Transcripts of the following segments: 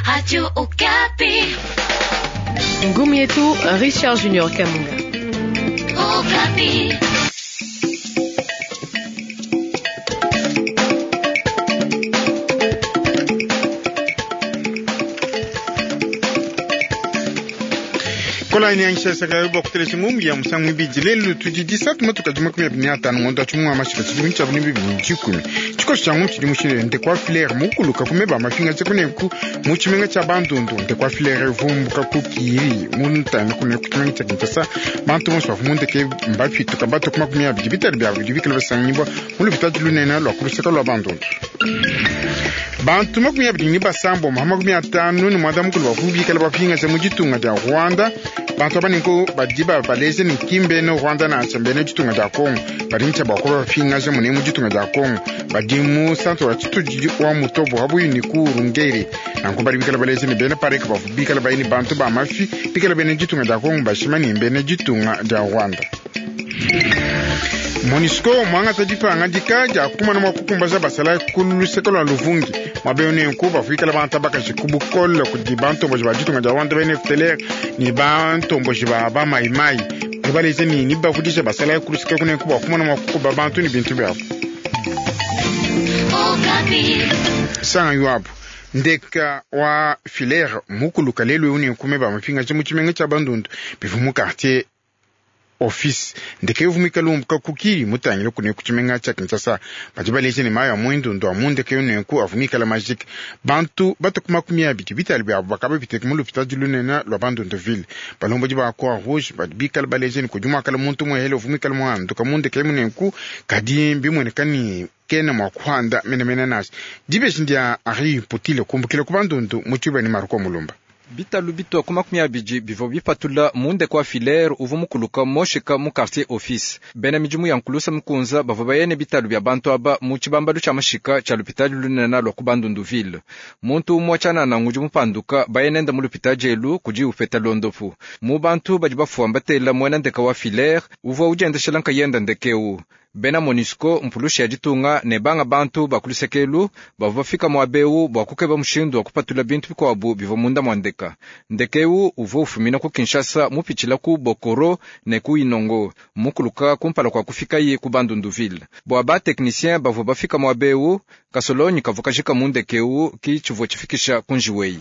Radio Okapi. Ngumi yetu Richard Junior Kamunga. Okapi. Kolaini anshesaka bwa kutelesha ngumbi ya musangu ibidi lelu tudi disatu matuka di 25 ngondo atshimu wa mashika tshidimu tshiabu ne 2010 tshikoso tshia ngumbi tshidi mushile nde kwa filere mukuluka kumeba mafinga tshikuneku mu tshimenga tshia bandundu nde kwa filere vumbuka ku kiri muntanga kuneku tshimenga tshia Kinshasa bantu bonso bavua mundeke mbapituka batu ku 25 biabu bidi bikale basangibwa mu lupitadi lunene lwa ku luseka lwa bandundu bantu 26 59 bavua bikale bapingaja mu ditunga dia Rwanda. Bantu aba ninko badi babaleje ni kimbene Rwanda nansha mbene ditunga dia Congo badi ntsha bua kuba bapingaja mune mu ditunga dia Congo badi mu centre wa tshitudi wa Mutobo habuyi ni ku Rungeri nanku badi bikale baleje ni bena pareke bavua bikale bayini bantu ba mafi bikale bene ditunga dia Congo bashima ni mbene ditunga dia Rwanda. MONUSCO mwangata dipangadika dia kumana mwa kukumbaza basala ku luseke lwa Luvungi mwabeu nenku bafuikala bantu bakaji ku bukole kudi bantomboji ba ditunga dia Rwanda bene FDLR ni bantomboji ba ba maimai badi ni ni bavudisha basala ku luseke kunenku bua kumana mwa kukuba bantu ni bintu byabo. Okapi. Sanga yuabu ndeka wa filere mukuluka lelu eu nenku meba mapingaja mu tshimenga tshia bandundu bivu mu quartier office ndeke yovumika lumbuka kukili mutangile kune kutshimenga tshia Kinshasa badi baleje ne mayi a muendundu a mundeke nenku avumikala majike bantu batu ku 25 biabu bakaba biteke mu lupitadi lunene lwa bandundu ville balombodi ba croix rouge badi bikala baleje ne kudi muakala muntu muhele ovumikala muhanduka mundeke munenku kadi mbimueneka ni kena mua kuhanda menemene nashi dibeji ndia Henri Putile kumbukile ku bandundu mu tshiba ni Marco Mulumba. Bitalu bitua ku 20 bivua bipatula munde kwa filere uvua mukuluka moshika mu quartier office. Bena midimu ya nkulusa mukunza bavua bayene bitalu bia bantu aba mu tshibambalu tshia mashika tshia lupitadi lunene lua ku Bandundu-ville. Muntu umue tshianana ngudi mupanduka bayenenda mu lupitadi elu kudi upeta londopu. Mu bantu badi bafua mbatela muena ndeka wa filere uvua udiendeshela nkayenda ndekeu. Bena MONUSCO mpulushi ya ditunga ne banga bantu ba kulusekelu bavua bafika muabeu bua kukeba mushindu wa kupatula bintu bikuabu bivua munda mua ndeka. Ndekeu uvua ufumina ku Kinshasa mupitshila ku Bokoro ne ku Inongo mukuluka kumpala kua kufikaye ku Bandunduville. Bua ba technicien bavua bafika muabeu kasolonyi kavua kajika mu ndekeu ki tshivua tshifikisha ku njiweyi.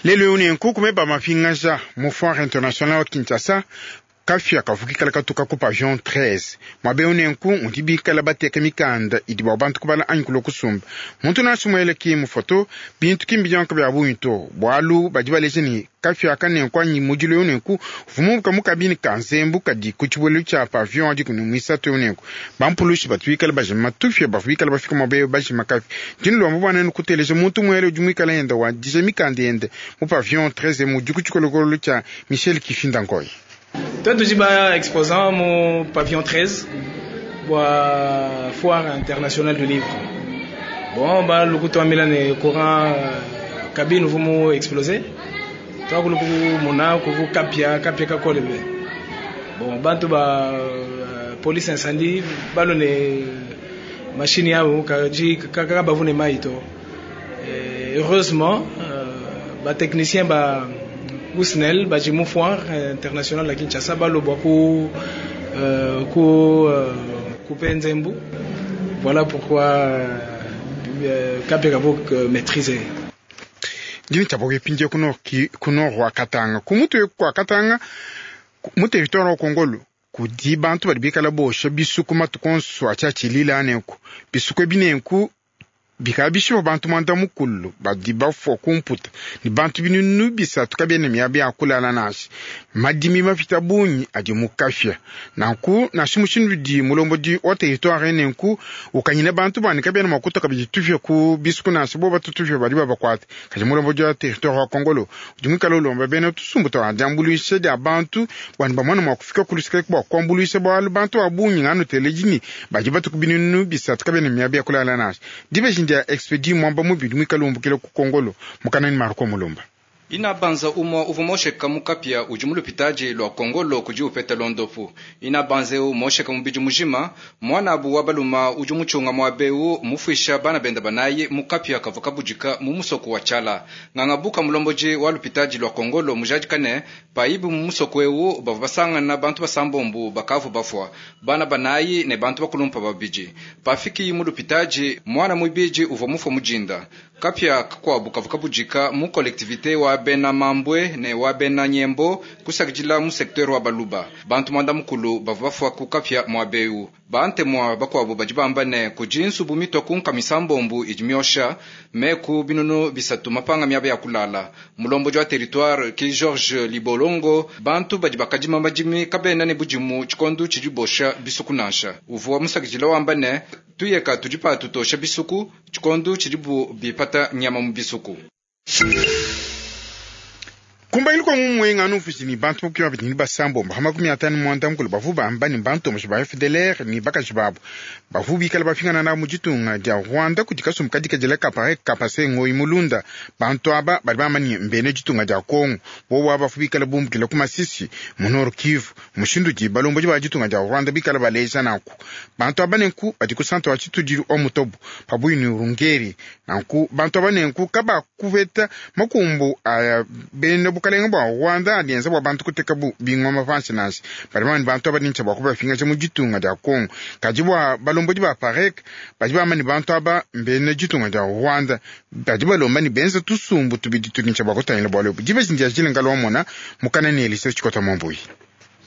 Lelu eu nenku kumeba mapingaja mu foire internationale wa Kinshasa kafia kavukikala katuka ku pavillon 13 mwabeu nenku mudi bikala bateka mikanda idi bua bantu kubala anyi kulua kusumba muntu nansha mueleki mu foto bintu kimbi bionka bia bungi to bualu badi baleja ni kafia aka nenku anyi mudilu eu nenku vumubuka mu kabini ka nzembu kadi ku tshibuelu tshia pavillon adi kuni muisatu eu nenku bampulushi batu bikala bajima tufia bavua bikala bafika mwabeu bajima kafia dinu lomba bua nenu kuteleja muntu muele udi muikala yenda wadija mikanda yende mu pavillon 13 mudi ku tshikolokolo tshia Michel Kifinda Nkoyi. Toi, tu es exposant au pavillon 13 pour la foire internationale du livre. Bon, bah, le coup de courant cabine vous exploser. Toi, le coup mona, vous kapia, kapia kakole. Bon, bantu ba police incendie, ba le machine ya kaji kaka ba vous ne maito. Heureusement, ba technicien ba Ousnel baji mu foire internationale ya Kinshasa balobwa ku ku couper nzembu. Voilà pourquoi kapeka bo maîtriser. Ndini tshia bokepindia kuno ki kuno wa Katanga kumutu kwa Katanga mu territoire wa Kongolo kudi bantu badi bikala bosha bisuku matuku onso atshia nenku bisuku ebi nenku bikala bishipa bantu mwanda mukulu badi bafua kumputa ni bantu binunu bisatu kabiena miaba ya kulala nansha madimi mapita bungi adi mukafia nanku nansha mushindu udi mulombodi wa territoire nenku ukanyina bantu bani kabiena mua kutoka bidi tufia ku bisuku nansha bo batutufia badi babakuata kadi mulombodi wa territoire wa Kongolo udi muikala ulomba bena tusumbu twa diambuluisha dia bantu bwani bamwana mua kufika kulusika bua kuambuluisha bualu bantu ba bungi nganu teledini badi batuku binunu bisatu kabiena miaba ya kulala nansha dibeji ndia expedi mwamba mubidi mwikala umbukile ku Kongolo mukanani Marco Mulumba. Inabanza umwa uvua mosheka mu kapia udi mu lupitadi lua Kongolo kudi upeta londopu. Inabanza eu mosheka mubidi mujima, mwanabu wa baluma udi muchunga mwabeu mufuisha bana benda banayi mu kapia kavua kabudika mu musoko wa Tshala. Ngangabuka mulomboji wa lupitadi lua Kongolo mujadikane paibu mu musoko eu bavua basangana bantu basambombu bakavu bafua. Bana banayi ne bantu bakulumpa babidi. Pafiki mu lupitadi mwana mwibiji uvua mufua mujinda. Kapia kakwabu kavua kabudika mu collectivité wa bena Mambwe ne wa bena Nyembo kusakidila mu secteur wa Baluba. Bantu mwanda mukulu bavua bafua ku kapia mwabeu. Bante mwa bakwabu badi bamba ne kudi nsubu mitwa ku nkamisa mbombu idi miosha meku binunu bisatu mapanga miaba ya kulala. Mulomboji wa territoire ki George Libolongo bantu badi bakadima madimi kabena ne budimu tshikondu tshidi bosha bisuku nansha. Uvua musakidila wamba ne tuyeka tudi patutosha bisuku tshikondu tshidi bu bipata nyama mu bisuku. Kumbaili kwa mumwenga anu ni bantu mukiwa bitini basambo bahama 59 mukulu bavu bamba ni bantu mushi ba FDLR ni bakaji babu bavu bikala bafingana na mujitunga dia Rwanda kudi kasumbu kadikadila kapare kapase ngoi mulunda bantu aba bali bamba ni mbene jitunga dia Kongo bobo bavu bikala bumbukila ku Masisi mu Nord Kivu mushindu di balombo ba jitunga dia Rwanda bikala baleja nanku bantu aba nenku badi ku centre wa Tshitudilu o Mutobo pabuyi ni Rungeri nanku bantu aba nenku kaba kuveta makumbu aya bene bukalenga bwa Rwanda alienza bwa bantu kuteka bu bingoma panshi nanshi bali bamani bantu aba nincha bwa kubafinga mu jitunga dia Kongo kadi bwa balombo ba parek badi bamani bantu aba mbene jitunga dia Rwanda badi balomba ni benza tusumbu tubidi tunincha bwa kutangila bwa lobu dibe zindia jilenga lwamona mukana ni Elise Chikota Mambuyi.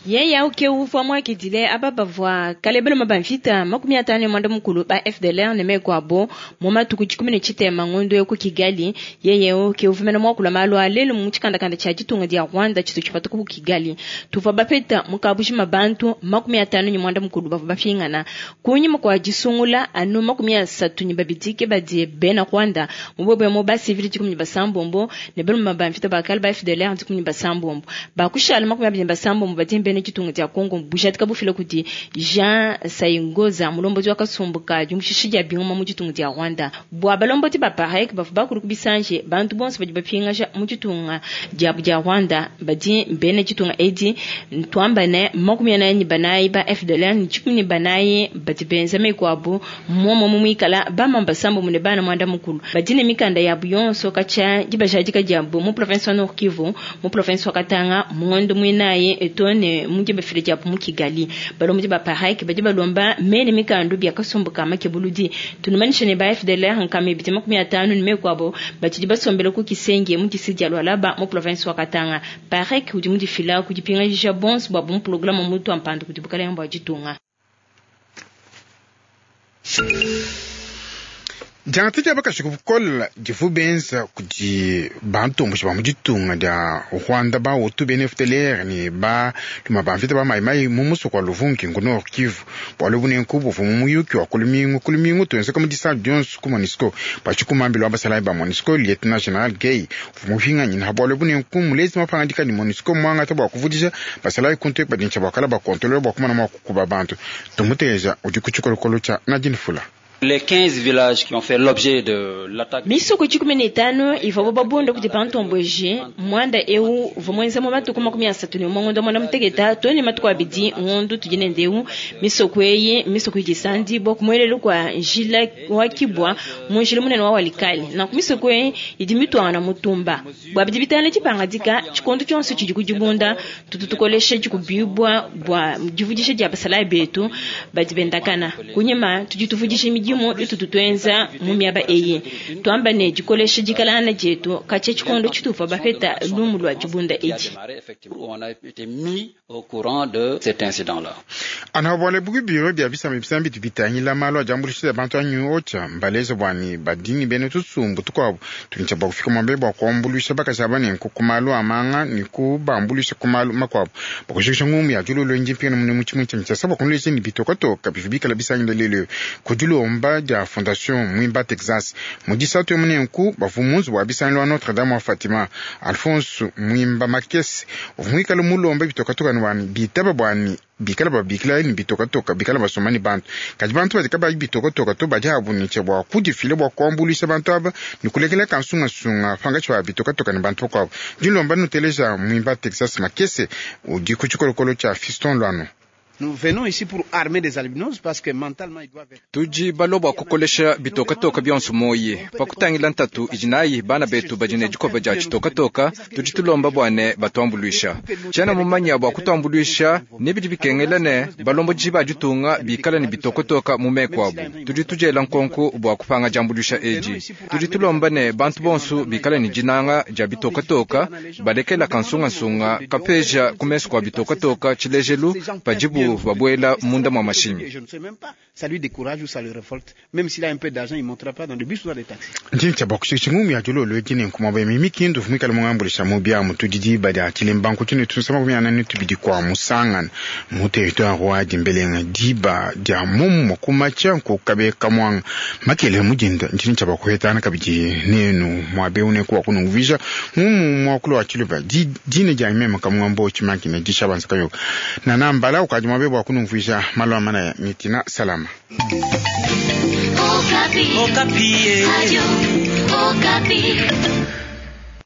Ye yauke uvua mwakidile aba bavua kalebelo mabamvita 54 mukulu ba FDLR ne mekwabo mu matuku 17 ngondo yo ku Kigali. Yeye uke uvumena mwakula malu alelo mu tshikandakanda tshia ditunga dia Rwanda tshitu tshipata ku Kigali. Tuvua bapeta mukabushima bantu 51 mukulu bavua bafingana kunyima kwa disungula anu 32 ke badie bena Rwanda mubwe mu ba civil 16 ne belo mabamvita bakal ba FDLR 16 bakushala 26 badie bene ditunga dia Kongo bujatika bufila kudi Jean Sayingoza mulombozi wakasumbuka dimushishi dia bingoma mu ditunga dia Rwanda bwa balomboti ba parek bafu bakulu kubisanje bantu bonso badi bapingaja mu ditunga dia dia Rwanda badi bene ditunga edi ntwamba ne 44 ba FDLR ni 14 badi benza mekwabo momo mumwikala bamamba sambo mune bana mwanda mukulu badi ne mikanda ya buyonso kacha dibajadika diabo mu province wa Nord Kivu mu province wa Katanga muondo mwinaye etone muje bafile japo mu Kigali balombo ba parek badi balomba mene mikandu bya kasumbuka makebuludi tunumanisha ne ba FDLR nkame bitima 15 ne mekwabo batidi basombela ku Kisenge mu disi dia Lualaba mu province wa Katanga parek udi mu difila ku dipinga bons bwa mu programme mutu ampandu ku dibukala yambo ditunga. Jangata dia bakashi kukola divu benza kudi bantu mbushi ba mu ditunga dia Rwanda ba Hutu bene FDLR ni ba luma ba mvita ba Mai-Mai mu musoko wa Luvungi ku Nord Kivu bwalo bunenku buvu mu muyuki wa kulumingu tuenzeka mu disa dionso ku MONUSCO bachikumambilo wa basalayi ba MONUSCO Lieutenant General Gay uvu mupinganyi na bwalo bunenku mulezi mapangadika ni MONUSCO mwangata bwa kuvudisha basalayi kuntu badincha bwakala bakontolola bwa kumana mwa kukuba bantu tumuteja udi ku tshikolokolo tshia Nadine Fula. Les 15 villages qui ont fait l'objet de l'attaque. Misoko 15 ivua babunda kuti pantomboje mwanda eu vamwenza mu matuku 31 ngondo mwana mutegeta tone matuku abidi ngondo tujine ndeu misoko eyi misoko ijisandi bo kumwelelo kwa njila wakibwa mu njila munene wa walikali na misoko eyi idi mitwana mutumba bwa bidi bitana chipangadika chikondo chonse chidi kujibunda tututukolesha chikubibwa bwa jivudisha dia basala betu badi bendakana kunyima tujituvudisha midimu itututwenza mu miaba eyi twamba ne jikolesha jikalana jetu kache chikondo chitufa bapeta lumu lwa jibunda eji On a été mis au courant de cet incident-là. Anabwale buku biro bya bisamba bisambi tubitangila malo ajambulisha bantu anyu ocha mbaleza bwani badini bene tusumbu tukwabo tulincha bwa kufika mwambe bwa kuambulisha bakashaba ne nkukumalu amanga ni kubambulisha kumalu makwabo bakushikisha ngumu ya jululo nji mpina mune muchimu cha mchasa bakunulesha ni bitokotoka bifibikala bisangila lelo kujulomba. dilomba dia Fondation Mwimba Texas. Mu disatu emu nenku bavua mu nzubu wa bisangilu wa Notre Dame wa Fatima. Alphonse Mwimba Makese uvua muikale mulombe bitokatoka ne bua bitaba bua ne bikala babikila ne bitokatoka bikala basomba ne bantu, kadi bantu badi kabayi bitokatoka to badi abu ne tshia bua kudifila bua kuambuluisha bantu aba ne kulekela kansungasunga pankatshi pa bitokatoka ne bantu bakuabu. Dilomba nuteleja Mwimba Texas Makese udi ku tshikolokolo tshia Fiston Luano. Nous venons ici pour armer des albinos parce que mentalement ils doivent être. Tudi balua bua kukolesha bitokatoka bionso moyi pa kutangila ntatu idi nayi bana betu badi ne dikoba dia tshitokatoka. Tudi tulomba bua ne batuambuluisha tshiena mumanya bua kutuambuluisha ne bidi bikengela ne balombodi ba ditunga bikala ne bitokotoka mu meku abu. Tudi tudiela nkonko bua kupanga diambuluisha edi. Tudi tulomba ne bantu bonso bikala ne dinanga dia bitokatoka, balekela kansungasunga kapeja ku mesu kua bitokatoka, tshilejelu padibu babuela munda mwa mashinyi. Je ne sais même pas. Ça lui décourage ou ça le révolte. Même s'il a un peu d'argent, il ne montera pas dans le bus ou dans les taxis. Ntshinyi tshia bua kushikisha ngumu ya dilolo edi nenku muaba emi mikindu uvua muikale mungambuluisha mu biamu tudi diba dia tshilembanku tshine tunusa 42 kua musangana mu territoire wa Dimbelenga diba dia mumua kumatsha nkukabe kamwanga makele mudinda. Ntshinyi tshia bua kuhetana kabidi nenu muaba eu nenku wa kunumvuija ngumu muakulu wa tshiluba dina dia meme kamwambo tshimankina dishabanza kayoka nanambala ukadi muaba bua kunumvuija malu a manaya mitina salama. Okapi. Okapi. Radio Okapi.